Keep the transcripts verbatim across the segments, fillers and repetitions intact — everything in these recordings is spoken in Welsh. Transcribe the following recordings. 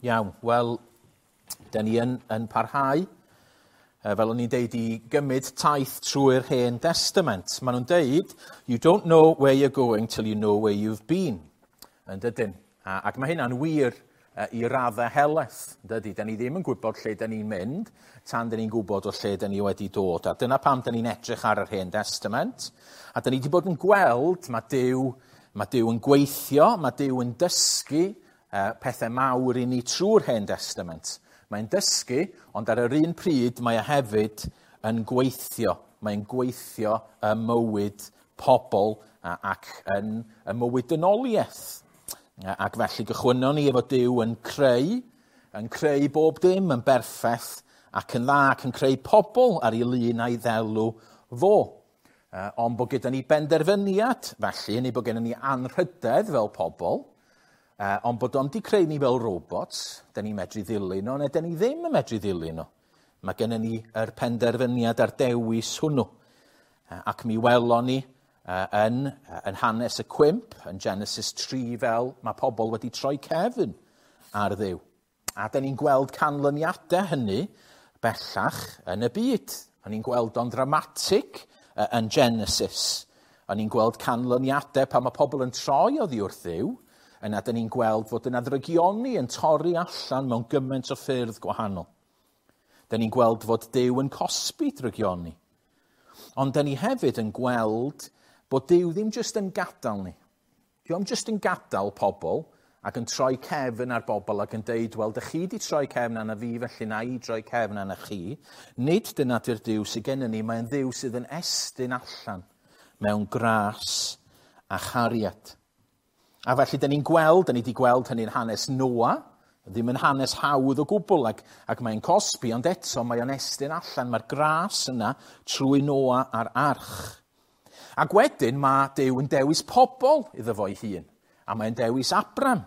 Iawn, wel, da ni yn, yn parhau, fel o'n i'n deud, i gymryd taith trwy'r Hen Testament. Maen nhw'n deud, "You don't know where you're going till you know where you've been." Yn dydyn? A, ac mae hynna'n wir i raddau helaeth. Dydy, da ni ddim yn gwybod lle da ni'n mynd tan da ni'n gwybod o lle da ni wedi dod. A dyna pam da ni'n edrych ar yr Hen Testament. A da ni wedi bod yn gweld, mae Duw, mae Duw yn gweithio, mae Duw yn dysgu uh, pethau mawr i ni trwy'r Hen Testament. Mae'n dysgu, ond ar yr un pryd mae e hefyd yn gweithio. Mae'n gweithio y mywyd pobl ac yn y mywyd dynoliaeth. Ac felly gychwynnon ni efo Duw yn creu, yn creu bob dim yn berffaith ac yn dda, ac yn creu pobl ar ei lun a'i ddelw fo. Ond bod gyda ni benderfyniad, felly, neu bod gyda ni anrhydedd fel pobl, ond bod o'n di creu ni fel robots, da ni'n medru ddilyn o, neu da ni ddim yn medru ddilyn o. Mae gennym ni yr penderfyniad a'r dewis hwnnw. Ac mi welon ni yn, yn hanes y cwymp, yn Genesis tri, fel mae pobl wedi troi cefn ar Dduw. A da ni'n gweld canlyniadau hynny bellach yn y byd. O'n ni'n gweld o'n ddramatig yn Genesis. O'n ni'n gweld canlyniadau pan mae pobl yn troi oddi wrth Dduw, yna da ni'n gweld fod yna ddrygioni yn torri allan mewn gymaint o ffyrdd gwahanol. Da ni'n gweld fod Duw yn cosbi drygioni. Ond da ni hefyd yn gweld bod Duw ddim jyst yn gadael ni. Dio'm jyst yn gadael pobl ac yn troi cefn ar bobl ac yn deud, "Wel, dych chi di troi cefn arna fi, felly na i droi cefn arna chi." Nid dyna di'r Duw sydd gennym ni, mae'n Dduw sydd yn estyn allan mewn gras a chariad. A felly, da ni'n gweld, da ni wedi gweld hynny'n hanes Noa, ddim yn hanes hawdd o gwbl, ac, ac mae'n cosbi, ond eto mae o'n estyn allan, mae'r gras yna trwy Noa a'r arch. Ac wedyn mae Duw yn dewis pobl iddo fo'i hun. A mae'n dewis Abram.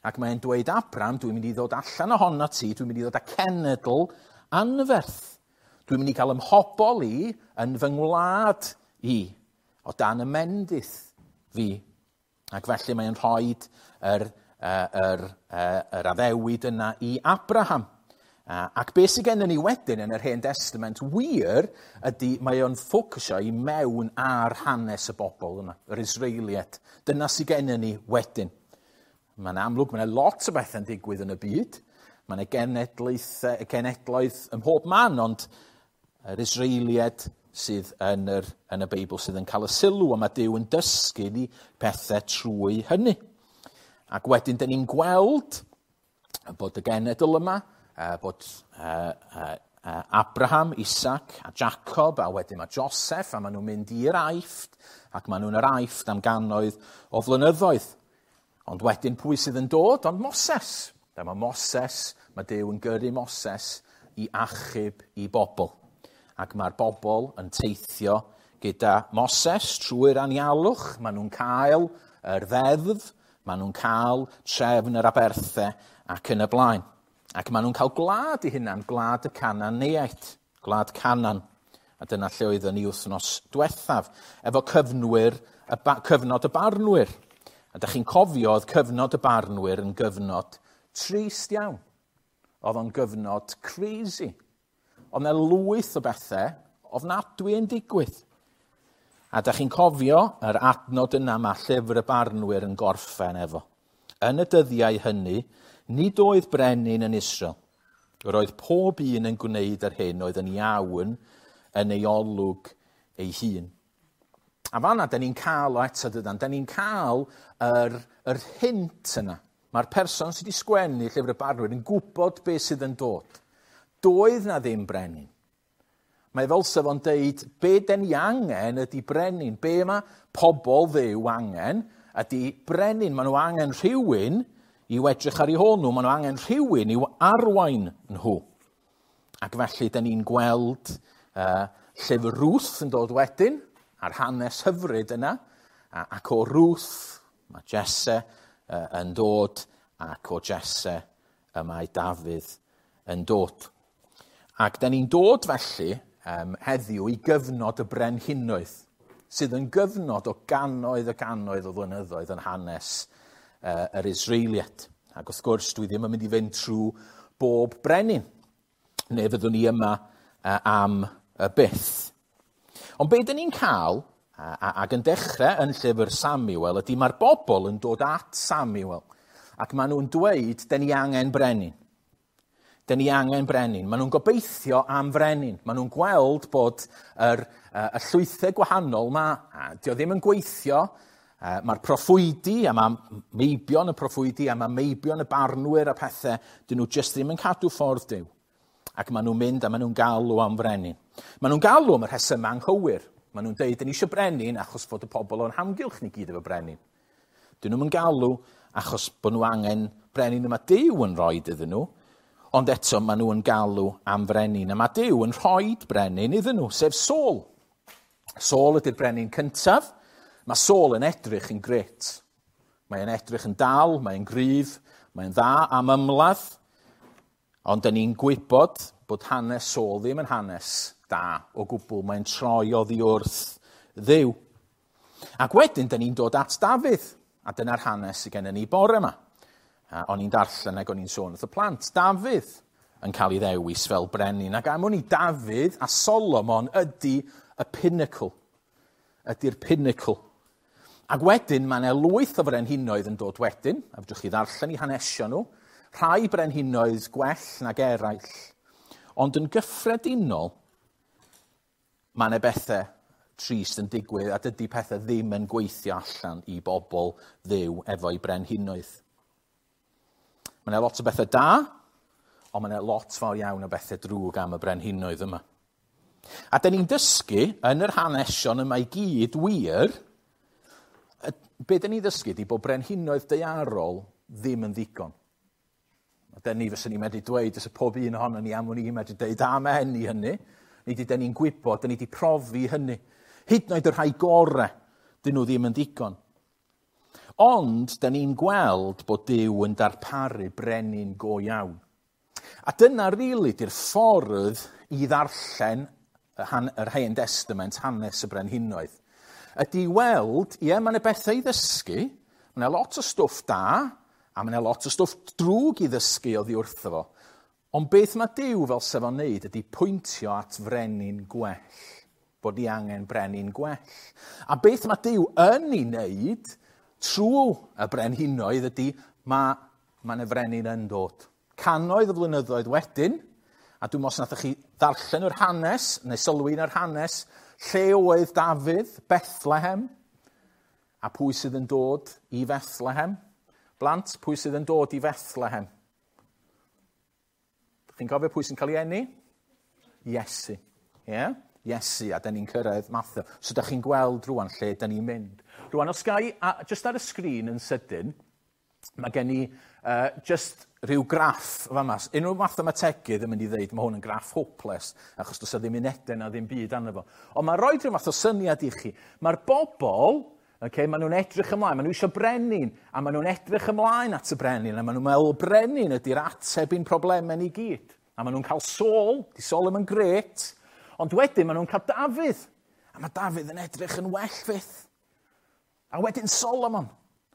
Ac mae'n dweud, "Abram, dwi'n mynd i ddod allan ohono ti, dwi'n mynd i ddod â cenedl anferth. Dwi'n mynd i gael ymhobol i yn fy ngwlad i, o dan y mendith fi." Ac felly mae'n rhoi yr, yr, yr, yr addewid yna i Abraham. Ac beth sydd gennym ni wedyn yn yr Hen Testament wir ydy mae o'n ffocysio i mewn ar hanes y bobl yma, yr Israeliaid. Dyna sydd gennym ni wedyn. Mae'n amlwg, mae'n lot o bethau'n digwydd yn y byd. Mae'n genedlaethau, genedloedd ym mhob man, ond yr Israeliaid sydd yn, yr, yn y Beibl sydd yn cael y sylw, a mae Duw yn dysgu ni pethau trwy hynny. Ac wedyn, dyn ni'n gweld bod y genedl yma, bod uh, uh, Abraham, Isaac a Jacob, a wedyn mae Joseph, a maen nhw'n mynd i'r Aifft, ac maen nhw'n yr Aifft am gannoedd o flynyddoedd. Ond wedyn pwy sydd yn dod? Ond Moses. Dyma Moses, mae Duw yn gyrru Moses i achub i bobl. Ac mae'r bobl yn teithio gyda Moses trwy'r anialwch. Maen nhw'n cael yr ddeddf, maen nhw'n cael trefn yr aberthau ac yn y blaen. Ac maen nhw'n cael gwlad i hunan, gwlad y Cananeaid, gwlad Canan. A dyna lle oeddwn ni wythnos diwethaf, efo cyfnwyr, y ba, cyfnod y barnwyr. A da chi'n cofio, oedd cyfnod y barnwyr yn gyfnod trist iawn. Oedd o'n gyfnod crazy. Oedd yna lwyth o bethau ofnadwy yn digwydd. A da chi'n cofio yr adnod yna mae llyfr y barnwyr yn gorffen efo. "Yn y dyddiau hynny, nid oedd brenin yn Israel. Yr oedd pob un yn gwneud yr hyn oedd yn iawn yn ei olwg ei hun." A fanna, da ni'n cael o eto, dydan, da ni'n cael yr, yr hint yna. Mae'r person sydd wedi sgwennu llyfr y barnwyr yn gwybod beth sydd yn dod. Doedd na ddim brenin. Mae fel sef o'n deud, be den ni angen ydy brenin. Be mae pobl Dduw angen ydy brenin. Maen nhw angen rhywun i'w edrych ar eu hôl nhw. Maen nhw angen rhywun i'w arwain nhw. Ac felly, da ni'n gweld uh, llyfr Ruth yn dod wedyn, a'r hanes hyfryd yna. A, ac o Ruth, mae Jesse uh, yn dod, ac o Jesse y mae Dafydd yn dod. Ac da ni'n dod felly um, heddiw i gyfnod y brenhinoedd, sydd yn gyfnod o gannoedd a gannoedd o flynyddoedd yn hanes uh, yr Israeliaid. Ac wrth gwrs, dwi ddim yn mynd i fynd trwy bob brenin, neu fyddwn ni yma am y byth. Ond be dyn ni'n cael, ac yn dechrau yn llyfr Samuel, ydy mae'r bobl yn dod at Samuel, ac maen nhw'n dweud, dyn ni angen brenin. Dyn ni angen brenin. Maen nhw'n gobeithio am frenin. Maen nhw'n gweld bod yr, y llwythau gwahanol yma, dio ddim yn gweithio, mae'r proffwydi, a mae meibion y proffwydi, a mae meibion y barnwyr a pethau, dyn nhw jyst ddim yn cadw ffordd Duw. Ac maen nhw'n mynd a maen nhw'n galw am frenin. Maen nhw'n galw am y rhesymau anghywir. Maen nhw'n deud, dyn ni eisiau brenin achos fod y pobl o'n hamgylch ni gyd efo brenin. Dyn nhw'n galw achos bod nhw angen brenin yma Duw yn rhoi iddyn nhw, ond eto maen nhw'n galw am frenin. A mae Duw yn rhoi brenin iddyn nhw, sef Saul. Saul ydy'r brenin cyntaf. Mae Saul yn edrych yn gret. Mae'n edrych yn dal, mae'n gryf, mae'n dda am ymladd. Ond dyn ni'n gwybod bod hanes Saul ddim yn hanes da o gwbl. Mae'n troi oddi wrth Dduw. Ac wedyn, dyn ni'n dod at Dafydd. A dyna'r hanes sydd gennym ni bore yma. O'n i'n darllen ac o'n i'n sôn wrth y plant. Dafydd yn cael ei ddewis fel brenin. Ac am wn i Dafydd a Solomon ydy y pinnacle. Ydy'r pinnacle. Ac wedyn, mae yna lwyth o frenhinoedd yn dod wedyn, a fedrwch chi ddarllen i hanesion nhw, rhai brenhinoedd gwell nag eraill, ond yn gyffredinol, mae yna bethau trist yn digwydd, a dydy pethau ddim yn gweithio allan i bobl Dduw efo'i brenhinoedd. Mae yna lot o bethau da, ond mae yna lot fawr iawn o bethau drwg am y brenhinoedd yma. A dyn ni'n dysgu yn yr hanesion yma i gyd wir, be dyn ni'n ddysgu ydy bod brenhinoedd daearol ddim yn ddigon. A dyn ni fyswn ni'n medru dweud, os y pob un ohono ni am wn i'n medru dweud amen i hynny. Ni di dyn ni'n gwybod, dyn ni di profi hynny. Hyd yn oed y rhai gorau, dyn nhw ddim yn ddigon. Ond dyn ni'n gweld bod Duw yn darparu brenin go iawn. A dyna rili di'r ffordd i ddarllen yr Hen Testament, hanes y brenhinoedd. Ydy weld, ie, mae yna bethau i ddysgu, mae yna lot o stwff da, a mae yna lot o stwff drwg i ddysgu oddi wrtho fo. Ond beth mae Duw fel sef o'n neud ydy pwyntio at frenin gwell, bod ni angen brenin gwell. A beth mae Duw yn ei wneud trwy y brenhinoedd ydy mae, mae yna frenin yn dod. Cannoedd o flynyddoedd wedyn, a dwi'n meddwl os nathoch chi ddarllen yr hanes, neu sylwi yn yr hanes, lle oedd Dafydd? Bethlehem. A pwy sydd yn dod i Bethlehem? Blant, pwy sydd yn dod i Bethlehem? Chi'n cofio pwy sy'n cael ei eni? Iesu. Yeah? Iesu, a da ni'n cyrraedd Mathew. So da chi'n gweld rwan lle da ni'n mynd. Rwan, os gai, a just ar y sgrin yn sydyn, mae gen i uh, just rhyw graff fama. Unrhyw mathemategydd yn mynd i ddeud mae hwn yn graff hopeless, achos does ddim unedau na ddim byd arno fo. Ond mae'n rhoi rhyw fath o syniad i chi. Mae'r bobl, okay, maen nhw'n edrych ymlaen, maen nhw eisiau brenin, a maen nhw'n edrych ymlaen at y brenin, a maen nhw'n meddwl brenin ydy'r ateb i'n problemau ni gyd. A maen nhw'n cael Saul, di Saul ddim yn gret, ond wedyn maen nhw'n cael Dafydd, a mae Dafydd yn edrych yn well fyth. A wedyn Solomon.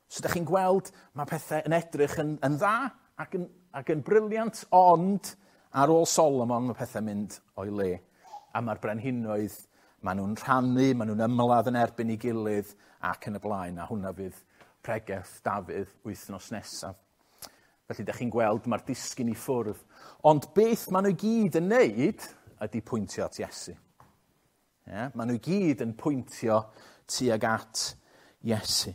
So ydych chi'n gweld, mae pethau yn edrych yn, yn dda ac yn, ac yn briliant, ond ar ôl Solomon mae pethau'n mynd o'i le. A mae'r brenhinoedd, maen nhw'n rhannu, maen nhw'n ymladd yn erbyn ei gilydd ac yn y blaen, a hwnna fydd pregeth Dafydd wythnos nesaf. Felly ydych chi'n gweld mae'r disgyn i ffwrdd. Ond beth maen nhw gyd yn neud ydy pwyntio at Iesu. Yeah? Maen nhw gyd yn pwyntio tuag at Iesu.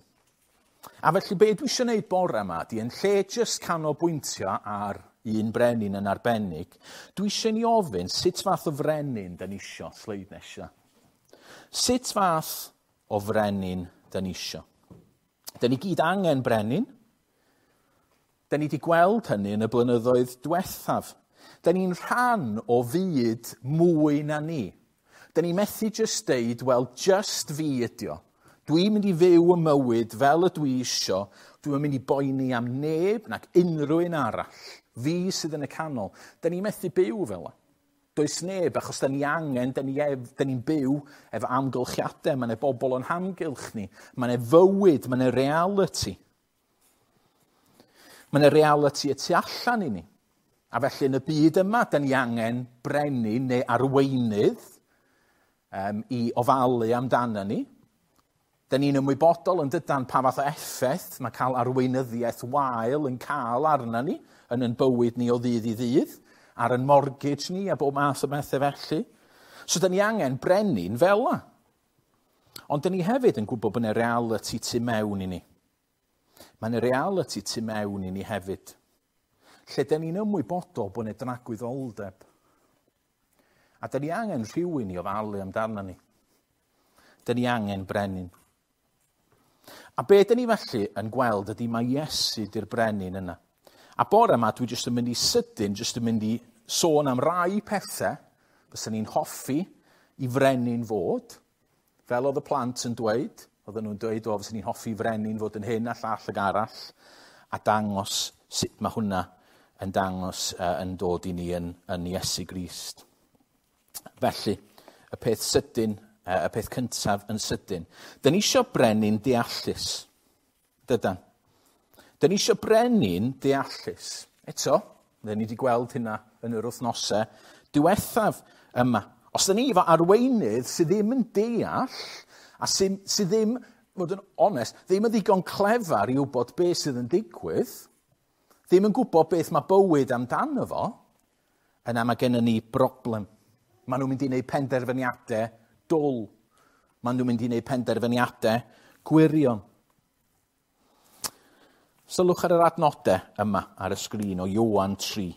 A felly be dwi eisiau gwneud bore yma, di yn lle jyst canolbwyntio ar un brenin yn arbennig, dwi eisiau ni ofyn sut fath o frenin da ni isio, sleid nesaf. Sut fath o frenin da ni isio? Da ni gyd angen brenin. Da ni wedi gweld hynny yn y blynyddoedd diwethaf. Da ni'n rhan o fyd mwy na ni. Da ni methu jyst deud, wel, just fi ydi o. Dwi'n mynd i fyw y mywyd fel y dwi isio. Dwi'n mynd i boeni am neb nac unrhyw un arall. Fi sydd yn y canol. Da ni methu byw fel yna. Does neb, achos da ni angen, da ni ef, da ni'n byw efo amgylchiadau. Mae yna bobl o'n hamgylch ni. Mae yna fywyd, mae yna reality. Mae yna reality y tu allan i ni. A felly yn y byd yma, da ni angen brenin neu arweinydd um, i ofalu amdano ni. Da ni'n ymwybodol yn dydan pa fath o effaith mae cael arweinyddiaeth wael yn cael arna ni yn yn bywyd ni o ddydd i ddydd, ar yn mortgage ni a bob math o bethau felly. So da ni angen brenin fel la. Ond da ni hefyd yn gwybod bod yna reality tu mewn i ni. Mae yna reality tu mewn i ni hefyd. Lle da ni'n ymwybodol bod yna dragwyddoldeb. A da ni angen rhywun i ofalu amdano ni. Da ni angen brenin. A be da ni felly yn gweld ydy mae Iesu di'r brenin yna. A bore yma dwi jyst yn mynd i sydyn, jyst yn mynd i sôn am rai pethau fysa ni'n hoffi i frenin fod. Fel oedd y plant yn dweud, oedden nhw'n dweud, o, fysa ni'n hoffi frenin fod yn hyn a llall ag arall, a dangos sut mae hwnna yn dangos uh, yn dod i ni yn, yn Iesu Grist. Felly, y peth sydyn, uh, y peth cyntaf yn sydyn. Dyn ni eisiau brenin deallus. Dydan. Dyn ni eisiau brenin deallus. Eto, dyn ni wedi gweld hynna yn yr wythnosau diwethaf yma. Os dyn ni efo arweinydd sydd ddim yn deall, a sydd, sydd ddim, fod yn onest, ddim yn ddigon clefar i wybod beth sydd yn digwydd, ddim yn gwybod beth mae bywyd amdano fo, yna mae gennym ni broblem. Maen nhw'n mynd i wneud penderfyniadau dwl. Maen nhw'n mynd i wneud penderfyniadau gwirion. Sylwch ar yr adnodau yma ar y sgrin o Ioan tri.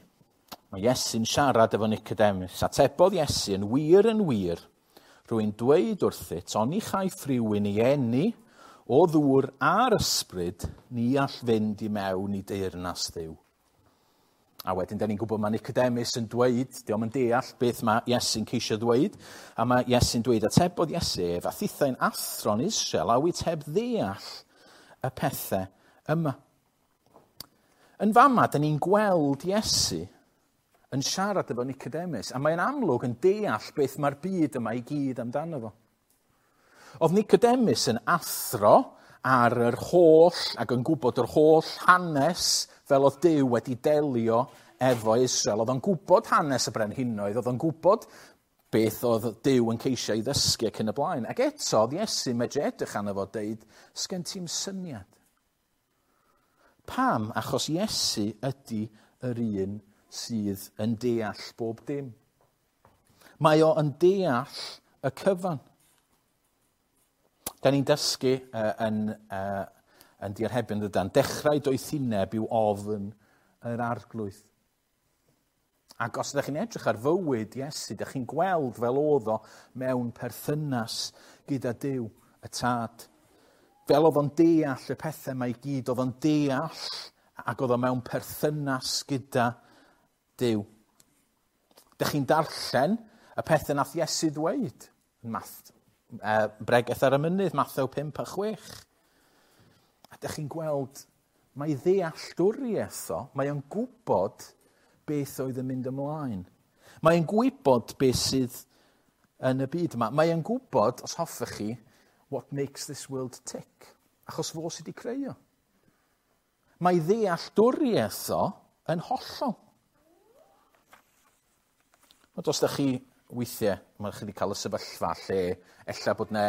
Mae Iesu'n siarad efo Nicodemus. Atebodd Iesu yn wir yn wir. Rwy'n dweud wrthyt, oni chaiff rhywun ei eni o ddŵr a'r ysbryd, ni all fynd i mewn i deyrnas Dduw. A wedyn, da ni'n gwybod mae Nicodemus yn dweud, dio'm yn deall beth mae Iesu'n ceisio dweud, a mae Iesu'n dweud, atebodd Iesu ef, a thithau'n athro'n Israel, a wyt heb ddeall y pethau yma. Yn fama, da ni'n gweld Iesu yn siarad efo Nicodemus, a mae'n amlwg yn deall beth mae'r byd yma i gyd amdano fo. Oedd Nicodemus yn athro ar yr holl, ac yn gwybod yr holl hanes fel oedd Duw wedi delio efo Israel. Oedd o'n gwybod hanes y brenhinoedd, oedd o'n gwybod beth oedd Duw yn ceisio i ddysgu ac yn y blaen. Ac eto, oedd Iesu medru edrych arno fo deud, sgen ti'm syniad. Pam? Achos Iesu ydy yr un sydd yn deall bob dim. Mae o yn deall y cyfan. Da ni'n dysgu uh, yn, uh, yn diarhebyn dydan, dechrau doethineb yw ofn yr arglwydd. Ac os ydych chi'n edrych ar fywyd Iesu, ydych chi'n gweld fel oedd o mewn perthynas gyda Duw, y Tad. Fel oedd o'n deall y pethau mae i gyd, oedd o'n deall ac oedd o mewn perthynas gyda Duw. Dych chi'n darllen y pethau nath Iesu ddweud yn Math, uh, Bregeth ar y Mynydd, Mathew pump a chwech. A dych chi'n gweld, mae ddealltwriaeth o, mae o'n gwybod beth oedd yn mynd ymlaen. Mae o'n gwybod beth sydd yn y byd yma. Mae o'n gwybod, os hoffech chi, what makes this world tick. Achos fo sydd wedi creu o. Mae ddealltwriaeth o yn hollol. Ond os ydych chi weithiau, mae chi wedi cael y sefyllfa lle ella bod, ne,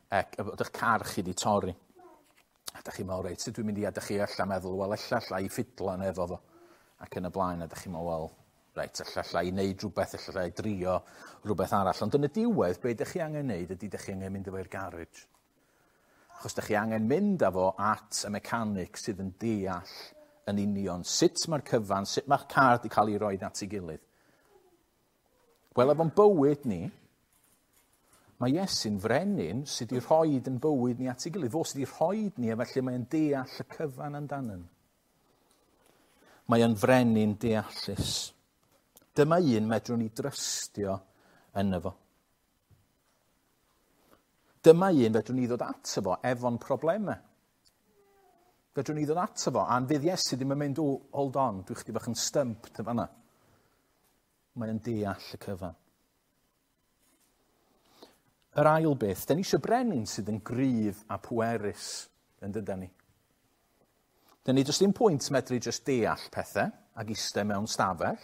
e, bod eich car chi wedi torri. A ydych chi'n meddwl, reit, sut dwi'n mynd i, a ydych chi ella meddwl, wel, ella alla i ffidlan efo fo. Ac yn y blaen, a ydych chi'n meddwl, wel, reit, ella alla i wneud rhywbeth, ella alla i drio rhywbeth arall. Ond yn y diwedd, be ydych chi angen wneud ydy ydych chi angen mynd efo i'r garage. Achos ydych chi angen mynd â fo at y mechanic sydd yn deall yn union sut mae'r cyfan, sut mae'r car wedi cael ei roi at ei gilydd. Wel, efo'n bywyd ni, mae Iesu'n frenin sydd wedi rhoi yn bywyd ni at ei gilydd. Fo sydd wedi rhoi ni, a felly mae'n deall y cyfan amdanyn. Mae o'n frenin deallus. Dyma un medrwn ni drystio yno fo. Dyma un fedrwn ni ddod ato fo efo'n problemau. Fedrwn ni ddod ato fo, a'n fydd Iesu ddim yn mynd, oh, hold on, dwi chdi bach yn stumped yn fanna. Mae o'n deall y cyfan. Yr ail beth, da ni eisiau brenin sydd yn gryf a pwerus yn dydan ni. Dyn ni does dim pwynt medru jyst deall pethau ac eistedd mewn stafell.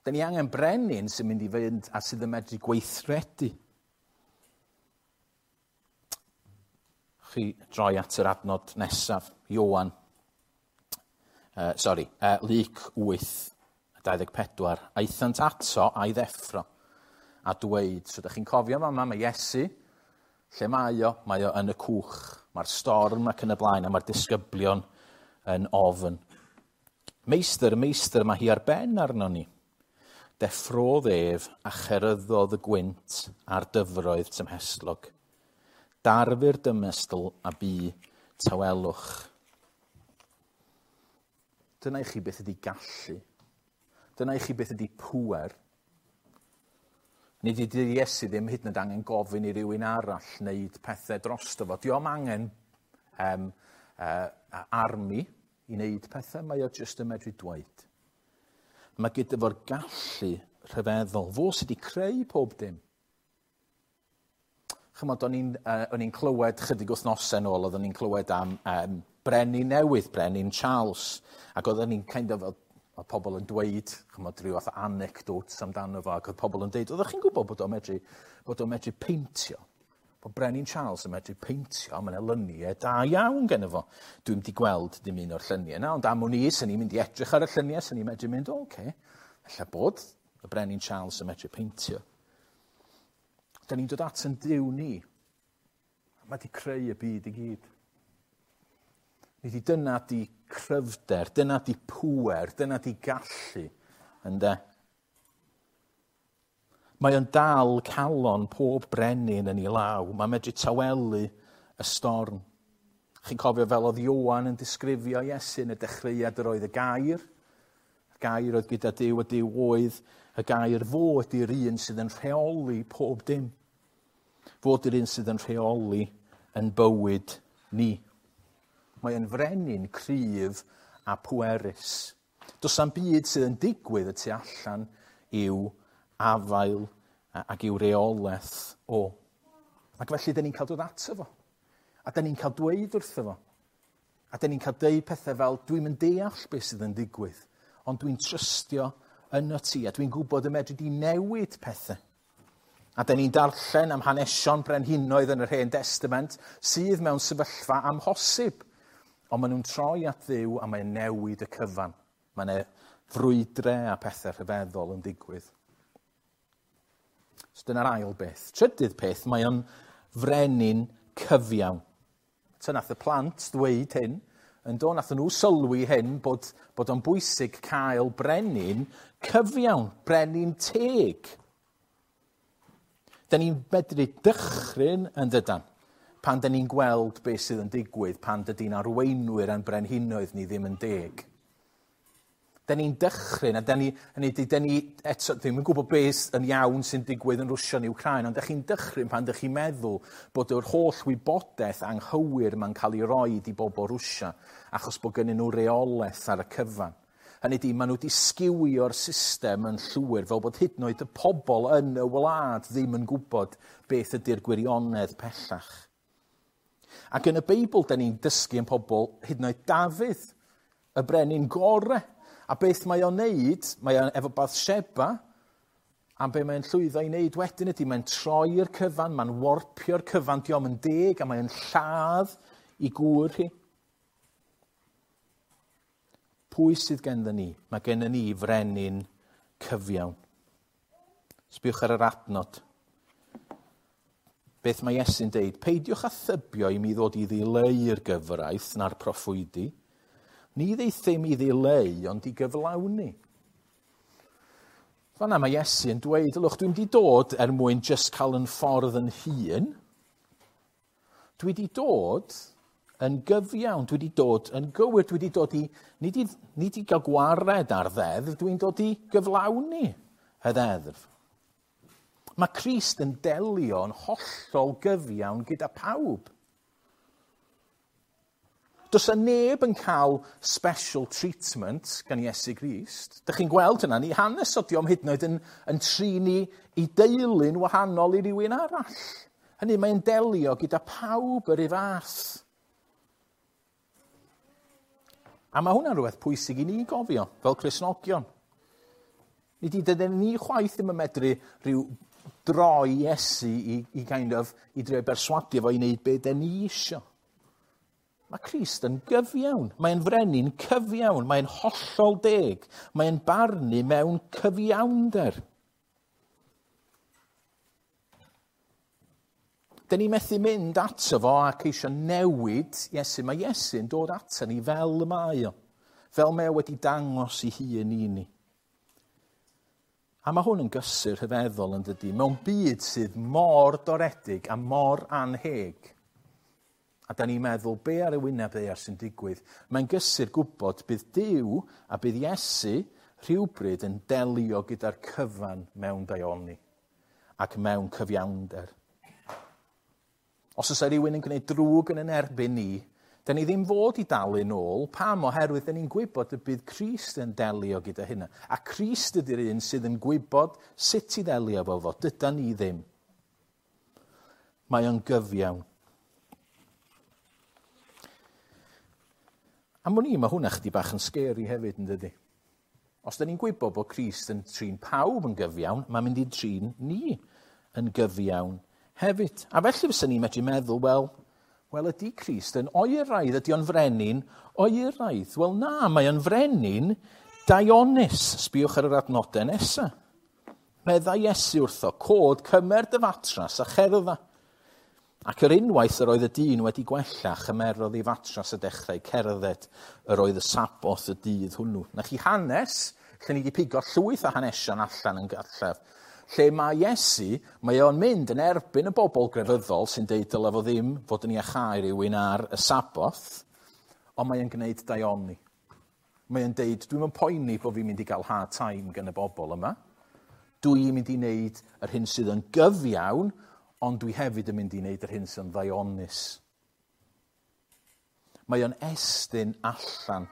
Dyn ni angen brenin sy'n mynd i fynd a sydd yn medru gweithredu. Chi droi at yr adnod nesaf, Ioan. Uh, sorry, uh, Luc wyth, dau ddeg pedwar. Aethant ato a'i ddeffro a dweud, so ydych chi'n cofio fama, mae Iesu, lle mae o? Mae o yn y cwch. Mae'r storm ac yn y blaen, a mae'r disgyblion yn ofn. Meistr, meistr, mae hi ar ben arno ni. Deffrodd ef a cheryddodd y gwynt a'r dyfroedd tymhestlog. Darfu'r dymestl a bu tawelwch. Dyna i chi beth ydi gallu. Dyna i chi beth ydi pŵer. Nid ydy Iesu ddim hyd yn oed angen gofyn i rywun arall wneud pethau drosto fo. Dio'm angen um, uh, army i wneud pethau, mae o jyst yn medru dweud. Mae gyda fo'r gallu rhyfeddol. Fo sydd wedi creu pob dim. Chymod, o'n i'n uh, o'n i'n clywed chydig wythnosau nôl, oeddwn i'n clywed am um, brenin newydd, brenin Charles, ac oeddwn i'n kind of, oedd pobl yn dweud, chymod, rhyw fath o anecdotes amdano fo, ac oedd pobl yn dweud, oeddech chi'n gwybod bod o'n medru, bod o'n medru peintio? Bod brenin Charles yn medru peintio, mae yna lyniau da iawn gen fo. Dwi'm di gweld dim un o'r lluniau yna, ond am wn i, sy'n ni'n mynd i edrych ar y lluniau, sy'n ni'n medru mynd, o, oce, ella bod y brenin Charles yn medru peintio. Da ni'n dod at yn Duw ni. Mae di creu y byd i gyd. Nid i dyna di cryfder, dyna di pŵer, dyna di gallu, ynde? Mae o'n dal calon pob brenin yn ei law. Mae'n medru tawelu y storm. Chi'n cofio fel oedd Ioan yn disgrifio Iesu yn y dechreuad yr oedd y gair. Y gair oedd gyda Duw, a Duw oedd y gair. Fo ydy'r un sydd yn rheoli pob dim. Fo ydy'r un sydd yn rheoli yn bywyd ni. Mae yn frenin cryf a pwerus. Does na'm byd sydd yn digwydd y tu allan i'w afael ac i'w reolaeth o. Ac felly, dyn ni'n cael dod ato fo. A dyn ni'n cael dweud wrtho fo. A dyn ni'n cael deud pethau fel, dwi'm yn deall beth sydd yn digwydd, ond dwi'n trystio yno ti, a dwi'n gwybod y medru di newid pethau. A dyn ni'n darllen am hanesion brenhinoedd yn yr Hen Testament sydd mewn sefyllfa amhosib. Ond maen nhw'n troi at Dduw a mae'n newid y cyfan. Mae yna frwydre a pethau rhyfeddol yn digwydd. So dyna'r ail beth. Trydydd peth, mae o'n frenin cyfiawn. So nath y plant ddweud hyn, yn do, nath nhw sylwi hyn bod, bod o'n bwysig cael brenin cyfiawn, brenin teg. Da ni'n medru dychryn yn dydan, pan da ni'n gweld beth sydd yn digwydd, pan dydy'n arweinwyr a'n brenhinoedd ni ddim yn deg. Da ni'n dychryn, a da ni, hynny ydi, da ni eto ddim yn gwybod beth yn iawn sy'n digwydd yn Rwsia neu Wcráin, ond da chi'n dychryn pan da chi'n meddwl bod yr holl wybodaeth anghywir ma'n cael ei roid i bobl Rwsia, achos bod gennyn nhw reolaeth ar y cyfan. Hynny ydi, maen nhw wedi sgiwio'r system yn llwyr, fel bod hyd yn oed y pobl yn y wlad ddim yn gwybod beth ydy'r gwirionedd pellach. Ac yn y Beibl, da ni'n dysgu yn pobl, hyd yn oed Dafydd, y brenin gore. A beth mae o'n neud, mae o'n efo Bathsheba, a be mae'n llwyddo i wneud wedyn ydy, mae'n troi'r cyfan, mae'n warpio'r cyfan, dio'm yn deg, a mae'n lladd i gŵr hi. Pwy sydd gennym ni? Mae gennym ni frenin cyfiawn. Sbiwch ar yr adnod. Beth mae Iesu'n deud? Peidiwch â thybio i mi ddod i ddileu'r gyfraith na'r proffwydi. Ni ddeithum i ddileu, ond i gyflawni. Fan'na mae Iesu yn dweud, ylwch, dwi'n di dod er mwyn jyst cael yn ffordd yn hun. Dwi di dod yn gyfiawn, dwi di dod yn gywir, dwi di dod i, nid i, nid i gael gwared ar ddeddf, dwi'n dod i gyflawni y ddeddf. Mae Crist yn delio yn hollol gyfiawn gyda pawb. Does yna neb yn cael special treatment gan Iesu Grist. Dych chi'n gweld hynna, ni hanes o dio'm hyd yn oed yn, yn trin i, i deulu'n wahanol i rywun arall. Hynny, mae'n delio gyda pawb yr un fath. A mae hwnna'n rhywbeth pwysig i ni gofio, fel Cristnogion. Nid i dydyn ni chwaith ddim yn medru rhyw droi Iesu i, i, kind of, i drio berswadio fo i wneud be den ni isio. Mae Crist yn gyfiawn. Mae'n frenin cyfiawn. Mae'n hollol deg. Mae'n barnu mewn cyfiawnder. Dyn ni methu mynd ato fo a ceisio newid Iesu. Mae Iesu'n dod ato ni fel y mae o. Fel mae o wedi dangos i hun i ni. A mae hwn yn gysur rhyfeddol yn dydy, mewn byd sydd mor doredig a mor anheg. A da ni'n meddwl, be ar y wyneb ddaear sy'n digwydd? Mae'n gysur gwybod bydd Duw a bydd Iesu rhywbryd yn delio gyda'r cyfan mewn daioni ac mewn cyfiawnder. Os oes rhywun yn gwneud drwg yn yn erbyn ni, da ni ddim fod i dalu nôl. Pam? Oherwydd da ni'n gwybod y bydd Crist yn delio gyda hynna. A Crist ydy'r un sydd yn gwybod sut i ddelio efo fo. Dydan ni ddim. Mae o'n gyfiawn. A mwyn i, mae hwnna chdi bach yn scary hefyd yn dydy. Os da ni'n gwybod bod Crist yn trin pawb yn gyfiawn, mae'n mynd i trin ni yn gyfiawn hefyd. A felly fysa ni'n medru meddwl, wel, wel ydy Crist yn oeraidd, ydy o'n frenin oeraidd? Wel na, mae o'n frenin daionus. Sbiwch ar yr adnodau nesaf. Meddai Iesu wrtho, cod, cymer dy fatras a cherdda. Ac yr unwaith yr oedd y dyn wedi gwella, chymerodd ei fatras a dechrau cerdded, yr oedd y Saboth y dydd hwnnw. Na chi hanes, lle ni wedi pigo llwyth o hanesion allan yn gartref, lle mae Iesu, mae o'n mynd yn erbyn y bobl grefyddol sy'n deud dylai fo ddim fod yn iachau rhywun ar y Saboth, ond mae o'n gwneud daioni. Mae o'n deud, dwi'm yn poeni bod fi'n mynd i gael hard time gan y bobl yma. Dwi'n mynd i wneud yr hyn sydd yn gyfiawn, ond dwi hefyd yn mynd i wneud yr hyn sy'n ddaionus. Mae o'n estyn allan.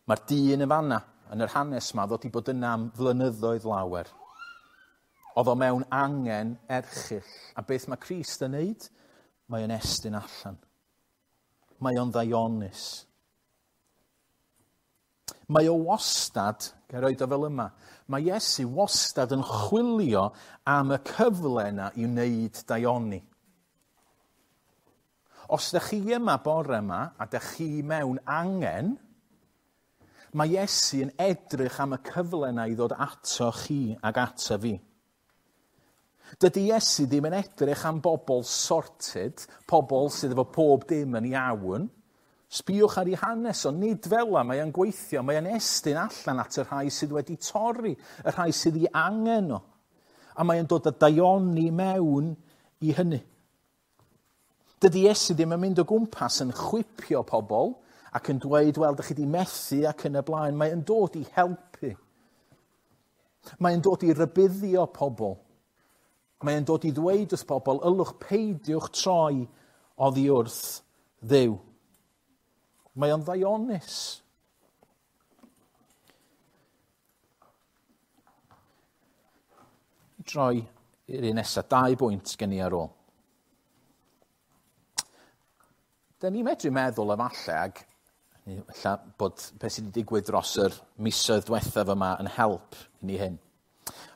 Mae'r dyn yn fanna, yn yr hanes yma, ddod i bod yna am flynyddoedd lawer. Oedd o mewn angen erchyll. A beth mae Crist yn wneud? Mae o'n estyn allan. Mae o'n ddaionus. Mae o wastad, gael roed o fel yma, mae Iesu wastad yn chwilio am y cyfle yna i wneud daioni. Os ydych chi yma bore yma, a ydych chi mewn angen, mae Iesu yn edrych am y cyfle yna i ddod ato chi ac ato fi. Dydy Iesu ddim yn edrych am bobl sorted, pobl sydd efo pob dim yn iawn. Sbïwch ar ei hanes o, nid fel yma, mae o'n gweithio, mae o'n estyn allan at y rhai sydd wedi torri, y rhai sydd ei angen o. A mae o'n dod â daioni mewn i hynny. Dydy Iesu ddim yn mynd o gwmpas yn chwipio pobl ac yn dweud, wel, dych chi wedi methu ac yn y blaen. Mae o'n dod i helpu. Mae o'n dod i rybuddio pobl. Mae o'n dod i ddweud wrth pobl, ylwch peidiwch troi oddi wrth Dduw. Mae o'n ddaionus. Droi i'r un nesaf, dau bwynt gen i ar ôl. Da ni'n medru meddwl efallai, ag ella bod beth sydd wedi digwydd dros yr misoedd diwethaf yma yn help i ni hyn.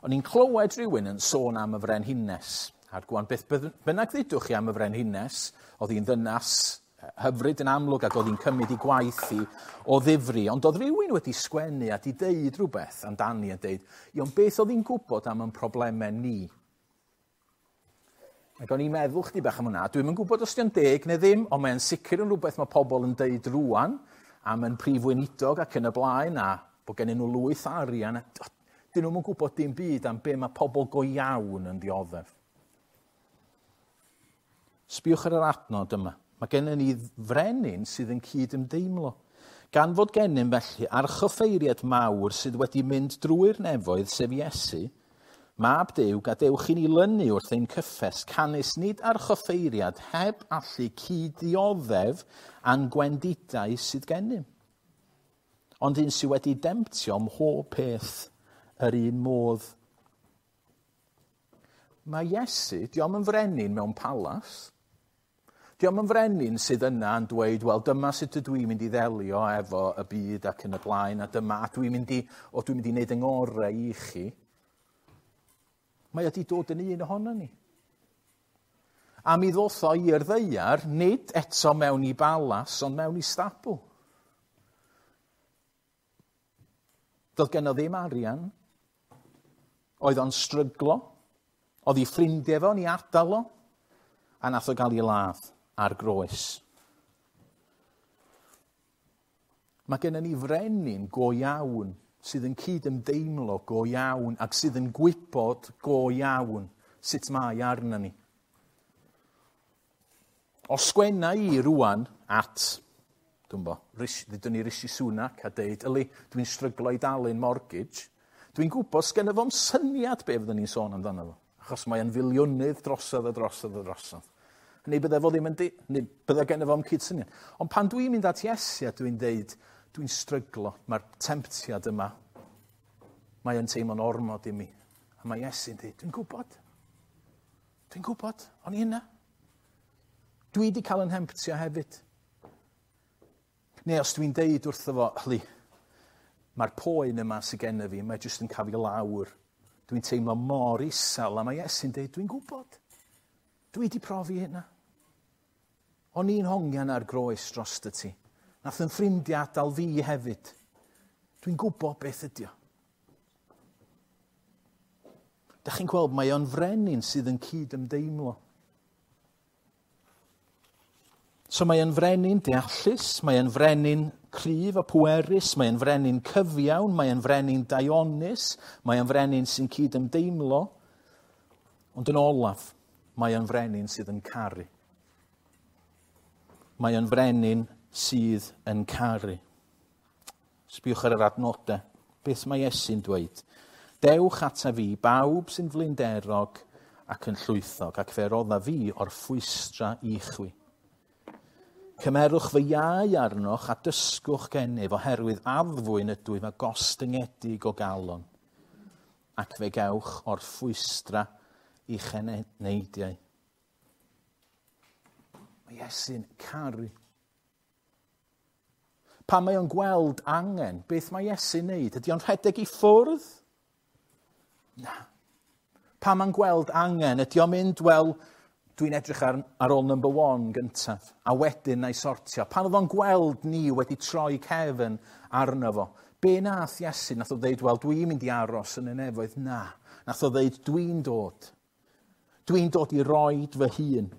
O'n i'n clywed rhywun yn sôn am y frenhines. A'r gwan, beth bynnag ddudwch chi am y frenhines, oedd hi'n ddynas hyfryd yn amlwg ac oedd hi'n cymryd i gwaith i o ddifri. Ond oedd rhywun wedi sgwennu a di deud rhywbeth amdani a deud, iawn, beth oedd hi'n gwybod am ein problemau ni? Ac o'n i'n meddwl chdi bach am hwnna. Dwi'm yn gwybod os dio'n deg neu ddim, ond mae'n sicr yn rhywbeth mae pobl yn deud rŵan am yn prif weinidog ac yn y blaen, a bod gennyn nhw lwyth arian. A dyn nhw'm yn gwybod dim byd am be mae pobl go iawn yn dioddef. Sbïwch ar yr adnod yma. Mae gennym ni frenin sydd yn cyd-ymdeimlo. Gan fod gennym felly archoffeiriad mawr sydd wedi mynd drwy'r nefoedd, sef Iesu, Mab Duw, gadewch i ni lynu wrth ein cyffes, canys nid archoffeiriad heb allu cyd-ddioddef a'n gwendidau sydd gennym. Ond un sydd wedi demtio mhob peth yr un modd. Mae Iesu, dio'm yn frenin mewn palas. Dio'm yn frenin sydd yna yn dweud, wel, dyma sut ydw i'n mynd i ddelio efo y byd ac yn y blaen, a dyma, a dwi'n mynd i, o, dwi'n mynd i wneud yng ngorau i chi. Mae o 'di dod yn un ohono ni. A mi ddoth o i'r ddaear, nid eto mewn i balas, ond mewn i stabl. Doedd genno ddim arian. Oedd o'n stryglo. Oedd ei ffrindiau fo'n ei adael o. A nath o gael ei ladd ar groes. Mae gennym ni frenin go iawn sydd yn cydymdeimlo go iawn ac sydd yn gwybod go iawn sut mae arna ni. Os sgwenna i rwan at, dwi'n bo, ddudwn ni Rishi Sunak a deud, yli, dwi'n stryglo i dalu'n mortgage, dwi'n gwybod sgenna fo'm syniad be fyddwn ni'n sôn amdano fo, achos mae'n filiwnydd drosodd a drosodd a drosodd. Neu bydde fo ddim yn, di, neu bydde genna fo'm cydsyniad. Ond pan dwi'n mynd at Iesu a dwi'n deud, dwi'n stryglo, mae'r temptiad yma, mae yn teimlo'n ormod i mi. A mae Iesu'n deud, dwi'n gwybod, dwi'n gwybod, o'n i hynna. Dwi wedi cael yn hemptio hefyd. Neu os dwi'n deud wrtho fo, hli, mae'r poen yma sydd genna fi, mae jyst yn cael fi lawr. Dwi'n teimlo mor isel, a mae Iesu'n deud, dwi'n gwybod. Dwi wedi profi hynna. O'n i'n hongian ar groes dros dy ti. Nath yn ffrindiau adael fi hefyd. Dwi'n gwybod beth ydi o. Dach chi'n gweld, mae o'n frenin sydd yn cydymdeimlo. So mae o'n frenin deallus, mae o'n frenin cryf a pwerus, mae o'n frenin cyfiawn, mae o'n frenin daionus, mae o'n frenin sy'n cydymdeimlo. Ond yn olaf, mae o'n frenin sydd yn caru. Mae o'n frenin sydd yn caru. Sbiwch ar yr adnodau. Beth mae Iesu'n dweud? Dewch ata fi, bawb sy'n flinderog ac yn llwythog, ac fe rodda fi o'r ffwystra i chwi. Cymerwch fy iau arnoch a dysgwch gennyf, oherwydd addfwyn ydw i a gostyngedig o galon, ac fe gewch o'r ffwystra i'ch eneidiau. Mae Iesu'n caru. Pan mae o'n gweld angen, beth mae Iesu'n neud? Ydy o'n rhedeg i ffwrdd? Na. Pan mae'n gweld angen, ydy o'n mynd, wel, dwi'n edrych ar, ar ôl number one gyntaf, a wedyn na i sortio. Pan oedd o'n gweld ni wedi troi cefn arno fo, be nath Iesu? Nath o ddeud, wel, dwi'n mynd i aros yn y nefoedd. Na. Nath o ddeud, dwi'n dod. Dwi'n dod i roid fy hun.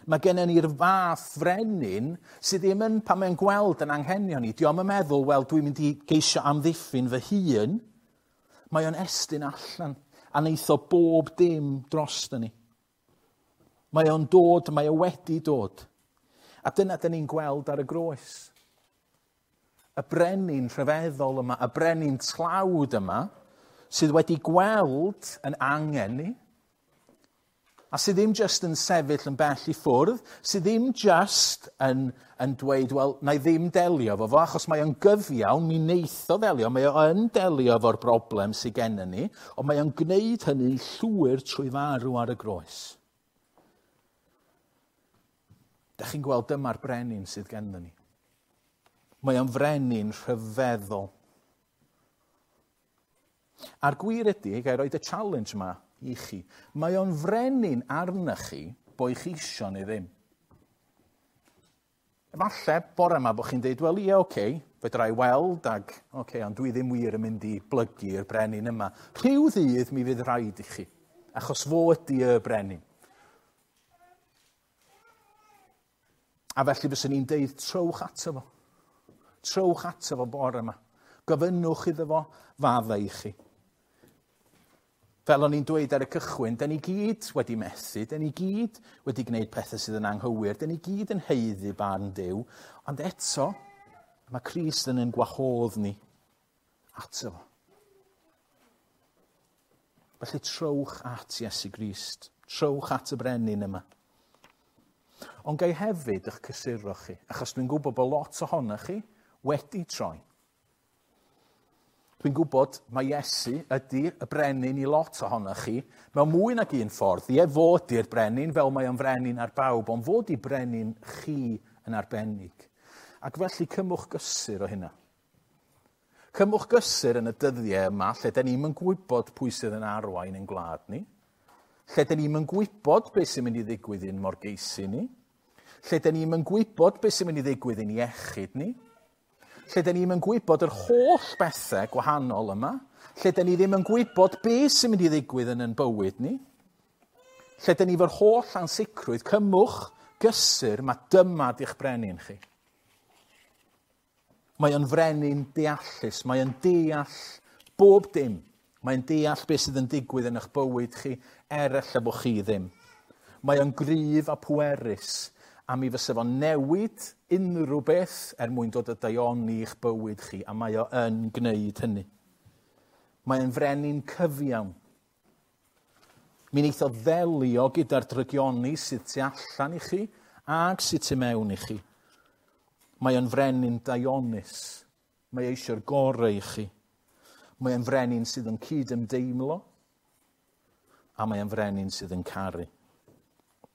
Mae gennym ni'r fath frenin sydd ddim yn, pan mae'n gweld yn anghenion ni, dio'm yn meddwl, wel, dwi'n mynd i geisio amddiffyn fy hun. Mae o'n estyn allan a neith o bob dim drosto ni. Mae o'n dod, mae o wedi dod. A dyna dyn ni'n gweld ar y groes. Y brenin rhyfeddol yma, y brenin tlawd yma, sydd wedi gweld yn angen ni, a sydd ddim just yn sefyll yn bell i ffwrdd, sydd ddim just yn, yn dweud, wel, na i ddim delio efo fo, achos mae o'n gyfiawn, mi neith o ddelio, mae o'n delio efo'r broblem sydd gennym ni, ond mae o'n gwneud hynny'n llwyr trwy farw ar y groes. Dach chi'n gweld dyma'r brenin sydd gennym ni. Mae o'n frenin rhyfeddol. A'r gwir ydy, ga i roed y challenge yma i chi, mae o'n frenin arna chi bo i chi isio neu ddim. Efallai bore yma bod chi'n deud, wel ie, oce, okay, fedra i weld ag, oce, okay, ond dwi ddim wir yn mynd i blygu i'r brenin yma. Rhyw ddydd mi fydd rhaid i chi, achos fo ydy y brenin. A felly fyswn ni'n deud, trowch ato fo. Trowch ato fo bore yma. Gofynnwch iddo fo faddau i chi. Fel o'n i'n dweud ar y cychwyn, da ni gyd wedi methu, da ni gyd wedi gwneud pethau sydd yn anghywir, da ni gyd yn haeddu barn Duw, ond eto, mae Crist yn ein gwahodd ni ato fo. Felly trowch at Iesu Grist, trowch at y brenin yma. Ond gai hefyd eich cysuro chi, achos dwi'n gwybod bod lot ohonoch chi wedi troi. Dwi'n gwybod mae Iesu ydy y brenin i lot ohonoch chi mewn mwy nag un ffordd. Ie, fod di'r brenin fel mae o'n frenin ar bawb, ond fod i brenin chi yn arbennig. Ac felly cymwch gysur o hynna. Cymwch gysur yn y dyddiau yma lle da ni'm yn gwybod pwy sydd yn arwain ein gwlad ni. Lle da ni'm yn gwybod beth sy'n mynd i ddigwydd i'n morgeisi ni. Lle da ni'm yn gwybod beth sy'n mynd i ddigwydd i'n iechyd ni. Lle da ni'm yn gwybod yr holl bethau gwahanol yma. Lle da ni ddim yn gwybod beth sy'n mynd i ddigwydd yn ein bywyd ni. Lle da ni efo'r holl ansicrwydd, cymwch gysur, mae dyma di'ch brenin chi. Mae o'n frenin deallus, mae o'n deall bob dim. Mae'n deall beth sydd yn digwydd yn eich bywyd chi, er ella bod chi ddim. Mae o'n gryf a pwerus, a mi fysa fo'n newid unrhyw beth er mwyn dod â daioni i'ch bywyd chi, a mae o yn gwneud hynny. Mae o'n frenin cyfiawn. Mi wneith o ddelio gyda'r drygioni sydd tu allan i chi ag sydd tu mewn i chi. Mae o'n frenin daionus. Mae eisiau'r gorau i chi. Mae o'n frenin sydd yn cyd-ymdeimlo, a mae o'n frenin sydd yn caru.